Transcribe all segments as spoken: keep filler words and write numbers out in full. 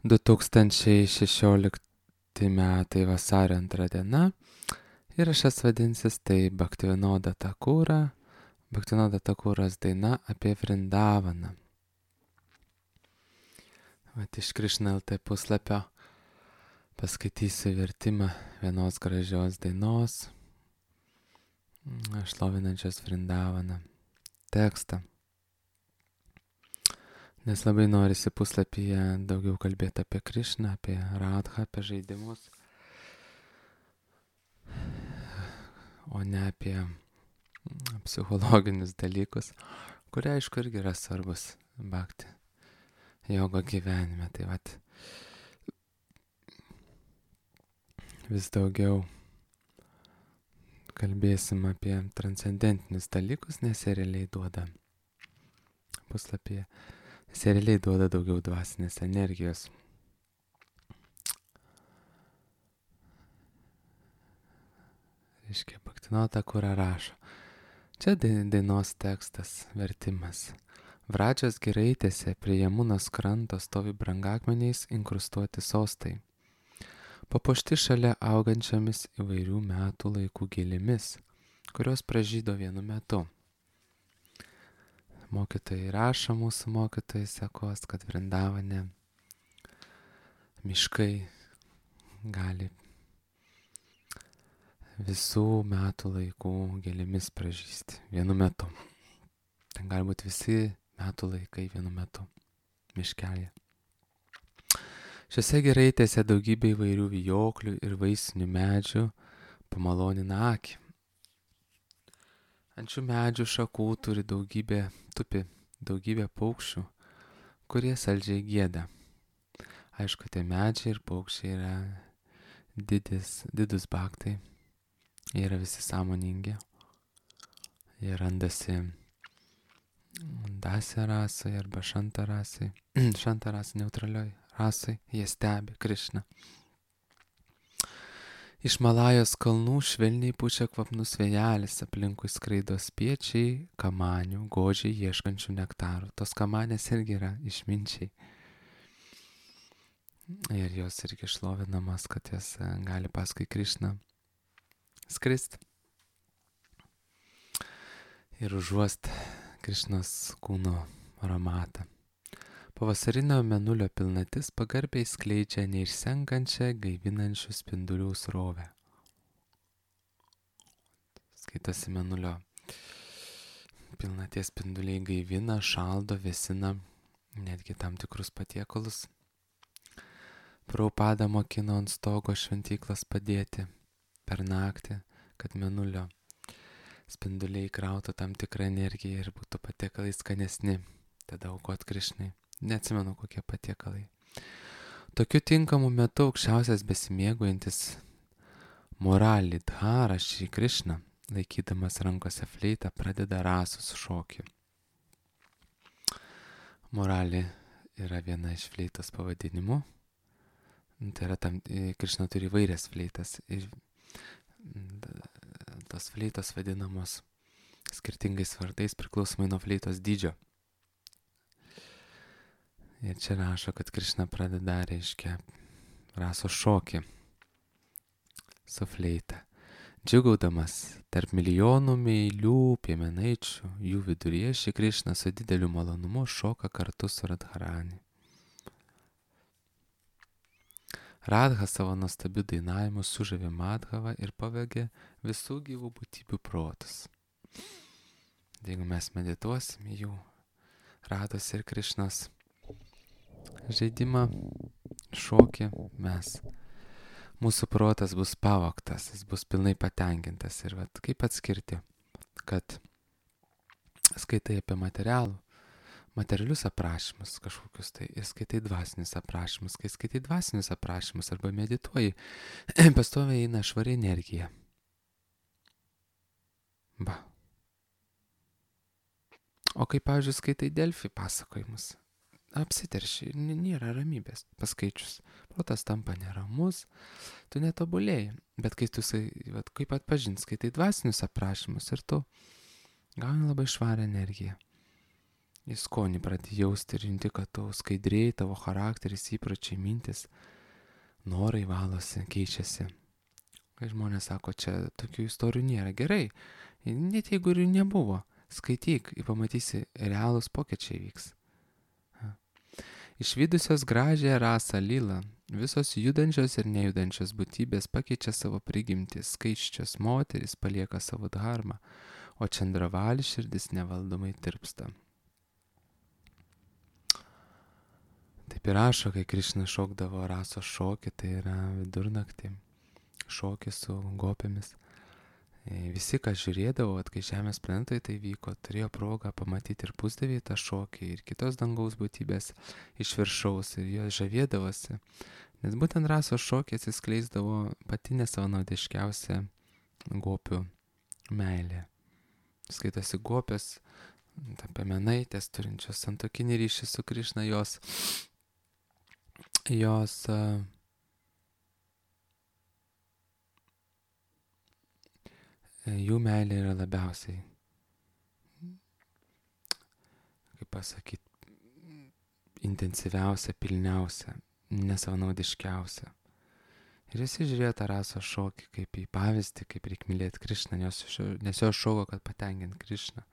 du tūkstančiai šešiolikti metai vasario antra diena. Įrašas vadinsis tai Bhaktivinoda Thakura, Bhaktivinoda Thakuras daina apie Vrindavaną. Vat iš Krishna L T puslapio paskaitysiu vertimą vienos gražios dainos, šlovinančios Vrindavaną tekstą. Nes labai norisi puslapyje daugiau kalbėti apie Krishną, apie Radhą, apie žaidimus, o ne apie psichologinius dalykus, kurie aišku irgi yra svarbus bhakti jogo gyvenime. Tai vat vis daugiau kalbėsim apie transcendentinius dalykus, nes jie realiai duoda puslapyje, nes jie realiai duoda daugiau dvasinės energijos. Reiškia, Bhaktivinoda Thakura rašo. Čia dainos tekstas, vertimas. Vradžios giraitėse prie Jamunos kranto stovi brangakmeniais inkrustuoti sostai, papuošti šalia augančiomis įvairių metų laikų gėlėmis, kurios pražydo vienu metu. Mokytojai rašo, mūsų mokytojai sekos, kad Vrindavane miškai gali visų metų laikų gėlėmis pražysti vienu metu. Ten gali būti visi metų laikai vienu metu miškelėje. Šiose giraitėse daugybė įvairių vijoklių ir vaisinių medžių pamalonina akį. Ant šių medžių šakų turi daugybė, tupi daugybė paukščių, kurie saldžiai gieda. Aišku, tie medžiai ir paukščiai yra didis, didus bhaktai. Jie yra visi sąmoningi. Jie randasi dasya rasai arba šanta rasai. Šanta rasai neutralioj rasai. Jie stebi Krishną. Iš Malajos kalnų švelniai pučia kvapnus vėjelis, aplinkui skraido spiečiai, kamanių, godžiai ieškančių nektarų. Tos kamanės irgi yra išminčiai. Ir jos irgi šlovinamas, kad jas gali paskui Krishną skristi ir užuost Krishnos kūno aromatą. Pavasarinio mėnulio pilnatis pagarbiai skleidžia neišsenkančią gaivinančių spindulių srovę. Skaitosi mėnulio pilnaties spinduliai gaivina, šaldo, vėsina netgi tam tikrus patiekalus. Prabhupada mokino ant stogo šventyklas padėti per naktį, kad mėnulio spinduliai krautų tam tikrą energiją ir būtų patiekalai skanesni, tada aukot Krishnai. Neatsimenu, kokie patiekalai. Tokiu tinkamu metu aukščiausias besimėguojantis Muralidhara Šri Krishna, laikydamas rankose fleitą, pradeda rasus šokį. Murali yra viena iš fleitos pavadinimų. Tai yra tam, Krishna turi įvairias fleitas. Ir tos fleitos vadinamos skirtingais vardais priklausomai nuo fleitos dydžio. Ir čia rašo, kad Krishna pradeda, reiškia, rasos šokį su fleita. Džiugaudamas tarp milijonų meilių piemenaičių, jų viduryje Šri Krishna su dideliu malonumu šoka kartu su Radharani. Radha savo nuostabiu dainavimu sužavė Madhavą ir pavegė visų gyvų būtybių protus. Jeigu mes medituosim jų Radhos ir Krishnos žaidimą, šokį, mes, mūsų protas bus pavogtas, jis bus pilnai patenkintas. Ir vat, kaip atskirti, kad skaitai apie materialų, materialius aprašymus kažkokius, tai ir skaitai dvasinius aprašymus. Kai skaitai dvasinius aprašymus arba medituoji, pastoviai eina švari energija. Ba. O kai, pavyzdžiui, skaitai Delfi pasakojimus, apsiterši ir nėra ramybės paskaičius. Protas tampa neramus, tu netobulėjai. Bet kai tu, vat, kaip atpažinti, skaitai dvasinius aprašymus ir tu gauni labai švarę energiją. į skonį pradedi jausti ir junti, kad tu skaidrėjai, tavo charakteris, įpročiai, mintis, norai valosi, keičiasi. Kai žmonės sako, čia tokių istorijų nėra, gerai, net jeigu ir nebuvo, skaityk ir pamatysi, realūs pokyčiai vyks. Išvydusios gražią rasą lilą, visos judančios ir nejudančios būtybės pakeičia savo prigimtį, skaičios moterys palieka savo dharmą, o Čandravali širdis nevaldomai tirpsta. Taip ir rašo, kai Krišna šokdavo rasos šokį, tai yra vidurnaktį, šokį su gopėmis. Visi, kas žiūrėdavo, at kai Žemės planetoje tai vyko, turėjo progą pamatyti ir pusdavį tą šokį, ir kitos dangaus būtybės iš viršaus, ir jos žavėdavosi. Nes būtent rasos šokį atsiskleisdavo pati nesavanaudiškiausia gopių meilė. Skaitosi gopės, piemenaitės, turinčios santuokinį ryšį su Krišna, jos, jos uh, jų meilė yra labiausiai, kaip pasakyti, intensyviausia, pilniausia, nesavanaudiškiausia. Ir visi žiūrėjo tą rasos šokį kaip į pavyzdį, kaip reikia mylėti Krišną, nes, nes jo šoko, kad patenkint Krišną.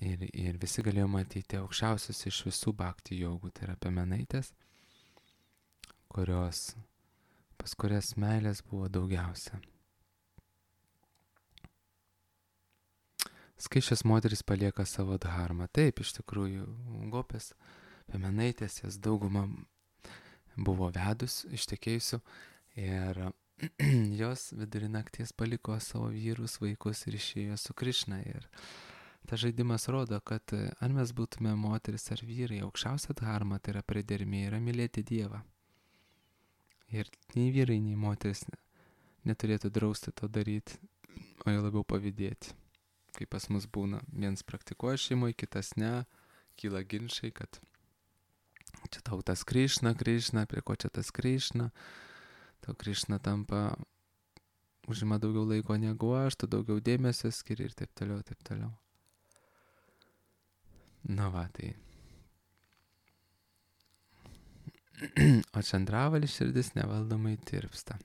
Ir, ir visi galėjo matyti aukščiausius iš visų bhakti jogų, tai yra piemenaitės, kurios, pas kurias meilės buvo daugiausia. Skaičios moteris palieka savo dharmą. Taip, iš tikrųjų, gopės, piemenaitės, jas dauguma buvo vedus, ištekėjusių, ir jos vidurį nakties paliko savo vyrus, vaikus ir išėjo su Krišna. Ir tas žaidimas rodo, kad ar mes būtume moteris ar vyrai, aukščiausia dharma, tai yra priedermė, yra mylėti Dievą. Ir nei vyrai, nei moteris neturėtų drausti to daryti, o jau labiau pavydėti. Kai pas mus būna, viens praktikuoja šeimoje, kitas ne, kyla ginčai, kad čia tau tas Krišna, Krišna, prie ko čia tas Krišna, tau Krišna tampa, užima daugiau laiko negu aš, tu daugiau dėmesio skiri ir taip toliau, taip toliau. Na va, tai. O Čandravali širdis nevaldomai tirpsta.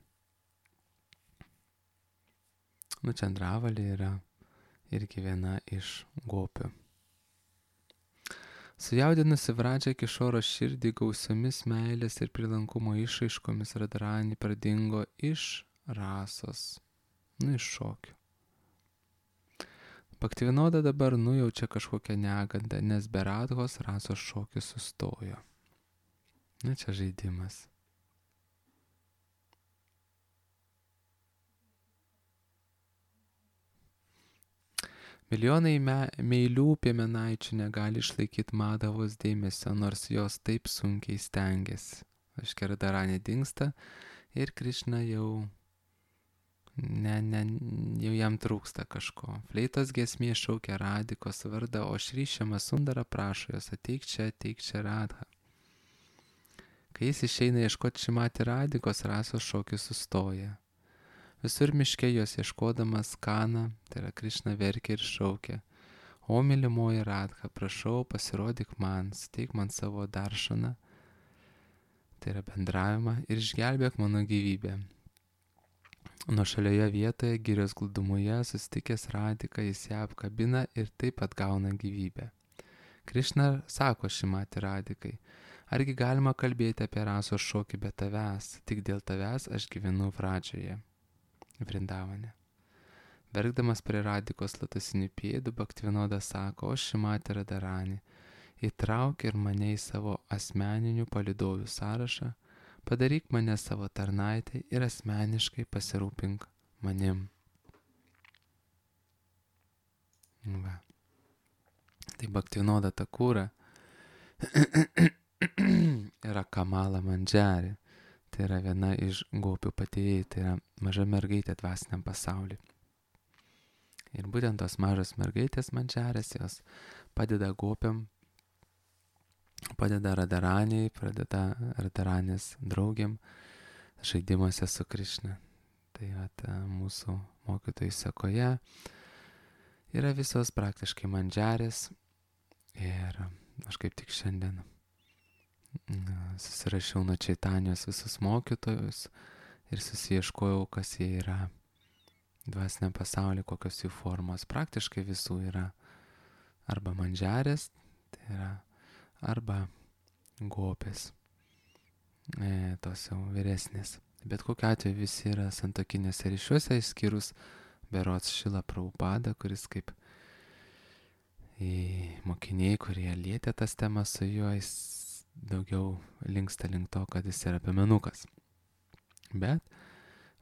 Nu, Čandravali yra irgi viena iš gopių. Sujaudinusi Vradžą Kišoro širdį gausiomis meilės ir prilankumo išraiškomis, Radharani pradingo iš rasos, nu iš šokių. Bhaktivinoda dabar nujaučia kažkokią negandą, nes be Radhos rasos šokis sustojo. Na, čia žaidimas. Milijonai me, meilių piemenaičių negali išlaikyti Madhavos dėmesio, nors jos taip sunkiai stengiasi. Aiškiai, Radharani dingsta ir Krišna jau, ne, ne, jau jam trūksta kažko. Fleitos giesmė šaukia Radikos vardą, o Šri Šiama Sundara prašo jos, ateik čia, ateik čia Radha. Kai jis išeina ieškoti Šimati Radikos, rasos šokis sustoja. Visur miške jos ieškodamas Kana, tai yra Krišna, verkia ir šaukia. O mylimoji Radha, prašau, pasirodyk man, suteik man savo daršaną, tai yra bendravimą, ir išgelbėk mano gyvybę. Nuošalioje vietoje, girios glūdumoje, susitikęs Radhika, jis ją apkabina ir taip atgauna gyvybę. Krišna sako Šimati Radhikai, argi galima kalbėti apie rasos šokį be tavęs, tik dėl tavęs aš gyvenu Vradžoje. Vrindavane. Verkdamas prie Radikos lotusinių pėdų, Bhaktivinoda sako, o Šimati Radharani, įtrauk ir mane į savo asmeninių palydovių sąrašą, padaryk mane savo tarnaitę ir asmeniškai pasirūpink manim. Va. Tai Bhaktivinoda Thakura yra Kamala Mandžari. Tai yra viena iš gopių patėjai, tai yra maža mergaitė dvasiniam pasauliui. Ir būtent tos mažos mergaitės Mandžarės, jos padeda gopiam, padeda Radharaniai, padeda Radharanės draugiam žaidimuose su Krišna. Tai vat, mūsų mokytojų sekoje yra visos praktiškai Mandžarės, Ir aš kaip tik šiandien susirašiau nuo Čaitanijos visus mokytojus ir susiieškojau, kas jie yra dvasiniam pasaulyje, kokios jų formos. Praktiškai visų yra arba mandžiarės, tai yra arba gopės, e, tos jau vyresnės. Bet kokiu atveju visi yra santokinėse ryšiuose, išskyrus berods Šilą Prabhupadą, kuris kaip į mokiniai, kurie lietė tas temas su juo, jis daugiau linksta link to, kad jis yra piemenukas. Bet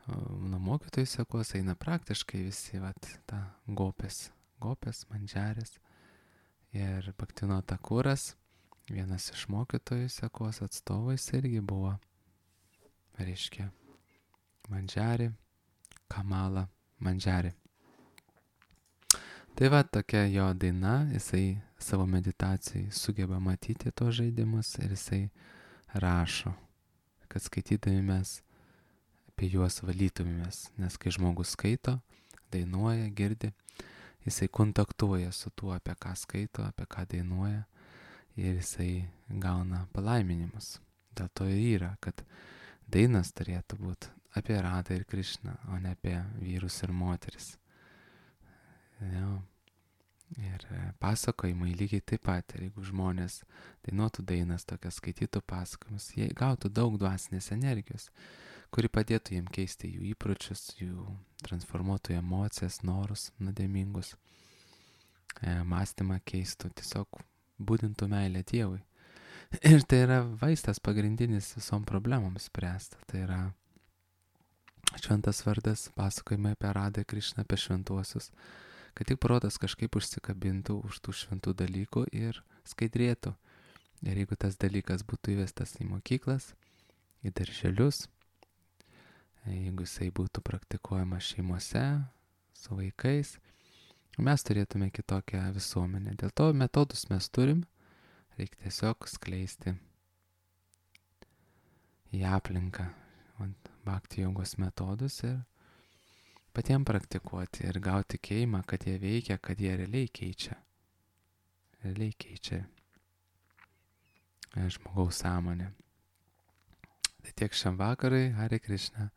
nuo mokytojų sekos eina praktiškai visi, vat, ta gopės, gopės, mandžiarės. Ir Bhaktino Takuras, vienas iš mokytojų sekos atstovais, irgi buvo, reiškia, mandžiarį, Kamala mandžiarį. Tai va, tokia jo daina, jisai savo meditacijai sugeba matyti tos žaidimus ir jisai rašo, kad skaitydami mes apie juos valytumėmės, nes kai žmogus skaito, dainuoja, girdi, jisai kontaktuoja su tuo, apie ką skaito, apie ką dainuoja ir jisai gauna palaiminimus. Dėl to ir yra, kad dainas turėtų būti apie Radą ir Krišną, o ne apie vyrus ir moteris. Ja. Ir pasakojimai lygiai taip pat, ir jeigu žmonės dainuotų dainas, tokias skaitytų pasakojimus, jie gautų daug dvasinės energijos, kuri padėtų jiem keisti jų įpročius, jų transformuotų emocijas, norus nuodėmingus, e, mąstymą keistų, tiesiog būdintų meilę Dievui. Ir tai yra vaistas pagrindinis visom problemams spręsti. Tai yra šventas vardas, pasakojimai apie Radą, Krišną, apie šventuosius, kad tik protas kažkaip užsikabintų už tų šventų dalykų ir skaidrėtų. Ir jeigu tas dalykas būtų įvestas į mokyklas, į darželius, jeigu jisai būtų praktikuojamas šeimose, su vaikais, mes turėtume kitokią visuomenę. Dėl to metodus mes turim, reikia tiesiog skleisti į aplinką bhakti jogos metodus ir patiems praktikuoti ir gauti tikėjimą, kad jie veikia, kad jie realiai keičia. Realiai keičia žmogaus sąmonę. Tai tiek šiam vakarai, Hare Krishna.